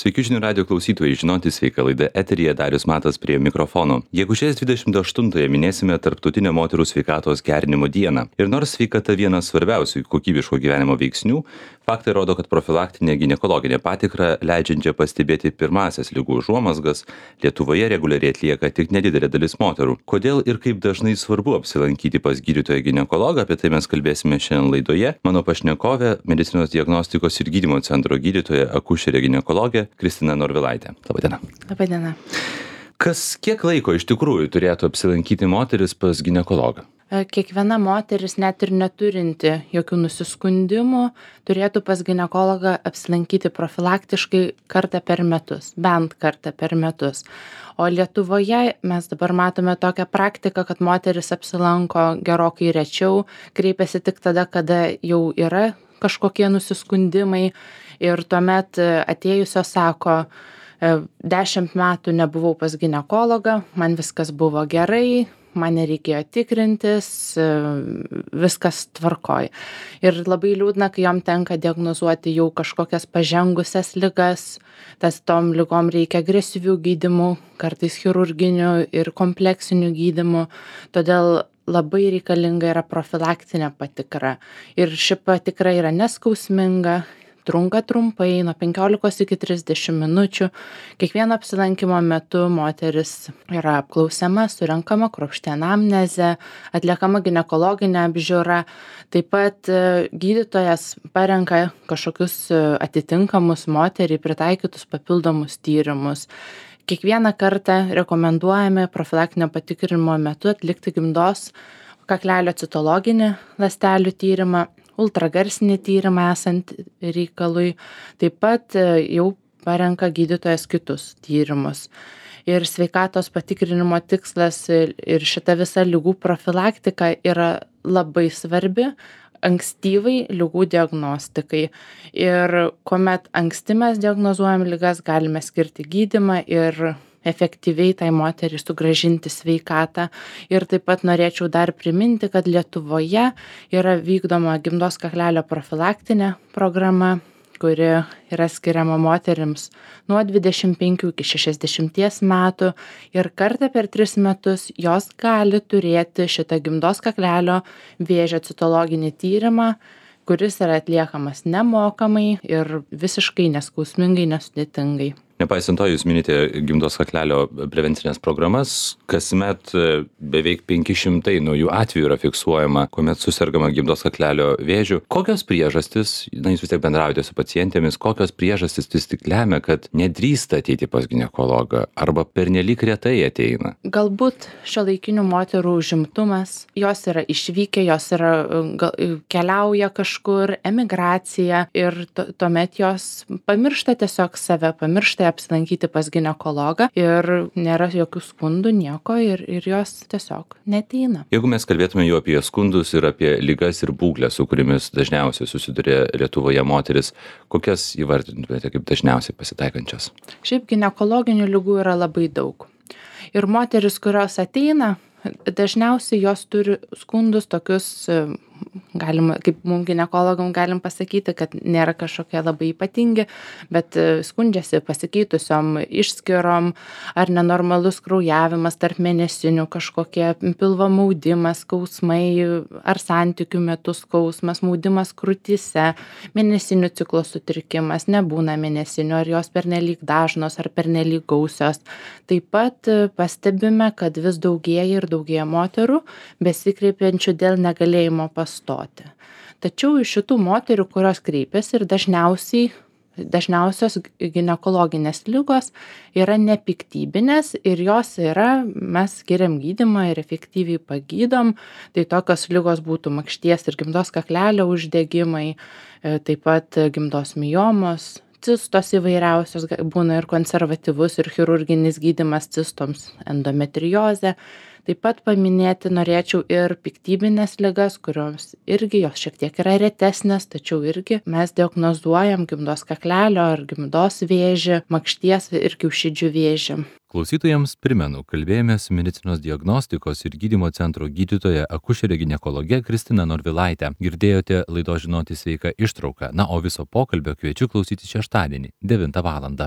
Sveiki žinių radio klausytojai, žinoti sveika laida eteryje Darius Matas prie mikrofono. Gegužės 28-ąją minėsime Tarptautinę moterų sveikatos gerinimo dieną. Ir nors sveikata vienas svarbiausių kokybiško gyvenimo veiksnių, faktai rodo, kad profilaktinė ginekologinė patikra, leidžiančia pastebėti pirmąsias ligų užuomazgas, Lietuvoje reguliariai atlieka tik nedidelė dalis moterų. Kodėl ir kaip dažnai svarbu apsilankyti pas gydytoją ginekologą, apie tai mes kalbėsime šiandien laidoje. Mano pašnekovė, medicinos diagnostikos ir gydymo centro gydytoja, akušerė ginekologė Kristina Norvilaitė. Labadiena. Labadiena. Kiek laiko iš tikrųjų turėtų apsilankyti moteris pas ginekologą? Kiekviena moteris, net ir neturinti jokių nusiskundimų, turėtų pas ginekologą apsilankyti profilaktiškai kartą per metus, bent kartą per metus. O Lietuvoje mes dabar matome tokią praktiką, kad moteris apsilanko gerokai rečiau, kreipiasi tik tada, kada jau yra kažkokie nusiskundimai ir tuomet atėjusios sako, 10 metų nebuvau pas ginekologą, man viskas buvo gerai, man nereikėjo tikrintis, viskas tvarkoj. Ir labai liūdna, kai jom tenka diagnozuoti jau kažkokias pažengusias ligas, tom ligom reikia agresyvių gydymų, kartais chirurginių ir kompleksinių gydymų, todėl labai reikalinga yra profilaktinė patikra. Ir ši patikra yra neskausminga, trunka trumpai, nuo 15 iki 30 minučių. Kiekvieno apsilankimo metu moteris yra apklausiama, surenkama kruopšti anamnezė, atliekama ginekologinė apžiūra. Taip pat gydytojas parenka kažkokius atitinkamus moteriai pritaikytus papildomus tyrimus. Kiekvieną kartą rekomenduojame profilaktinio patikrinimo metu atlikti gimdos kaklelio citologinį ląstelių tyrimą, ultragarsinį tyrimą esant reikalui. Taip pat jau parenka gydytojas kitus tyrimus. Ir sveikatos patikrinimo tikslas ir šita visa ligų profilaktika yra labai svarbi ankstyvai ligų diagnostikai. Ir kuomet anksti mes diagnozuojam ligas, galime skirti gydymą ir efektyviai tai moteriai sugrąžinti sveikatą. Ir taip pat norėčiau dar priminti, kad Lietuvoje yra vykdoma gimdos kaklelio profilaktinė programa, kuri yra skiriama moterims nuo 25 iki 60 metų ir kartą per 3 metus jos gali turėti šitą gimdos kaklelio vėžio citologinį tyrimą, kuris yra atliekamas nemokamai ir visiškai neskausmingai, nesudėtingai. Nepaisant to, jūs minite gimdos kaklelio prevencinės programas, kasmet beveik 500 naujų atvejų yra fiksuojama, kuomet susergama gimdos kaklelio vėžiu. Kokios priežastys, jūs vis tiek bendraujate su pacientėmis, kokios priežastys vis tik lemia, kad nedrįsta ateiti pas ginekologą arba pernelyg retai ateina? Galbūt šiuolaikinių moterų užimtumas, jos yra išvykę, jos yra, keliauja kažkur, emigracija ir tuomet jos pamiršta tiesiog save, pamiršta apsilankyti pas ginekologą ir nėra jokių skundų, nieko ir jos tiesiog neateina. Jeigu mes kalbėtume jau apie skundus ir apie ligas ir būklės, su kuriamis dažniausiai susiduria Lietuvoje moteris, kokias įvardintumėte kaip dažniausiai pasitaikančias? Šiaip ginekologinių ligų yra labai daug. Ir moteris, kurios ateina, dažniausiai jos turi skundus tokius, kaip mums ginekologam galim pasakyti, kad nėra kažkokie labai ypatingi, bet skundžiasi pasikeitusiom išskyrom ar nenormalus kraujavimas tarp mėnesinių, kažkokie pilvo maudimas, skausmai ar santykių metu skausmas, maudimas krūtyse, mėnesinių ciklo sutrikimas, nebūna mėnesinių, ar jos pernelyg dažnos ar pernelyg gausios. Taip pat pastebime, kad vis daugėja ir daugėja moterų besikreipiančių dėl negalėjimo pastoti. Tačiau iš šitų moterų, kurios kreipiasi ir dažniausios ginekologinės ligos yra nepiktybinės ir jos yra, mes skiriam gydymą ir efektyviai pagydom. Tai tokios ligos būtų makšties ir gimdos kaklelio uždegimai, taip pat gimdos miomos, cistos įvairiausios, būna ir konservatyvus ir chirurginis gydymas cistoms, endometriozė. Taip pat paminėti norėčiau ir piktybinės ligas, kurios irgi jos šiek tiek yra retesnės, tačiau irgi mes diagnozuojam gimdos kaklelio ar gimdos vėžį, makšties ir kiaušidžių vėžį. Klausytojams primenu, kalbėjomės su medicinos diagnostikos ir gydymo centro gydytoja akušerė ginekologe Kristina Norvilaitė. Girdėjote laidos Žinoti sveika ištrauką, o viso pokalbio kviečiu klausytis šeštadienį 9 valandą.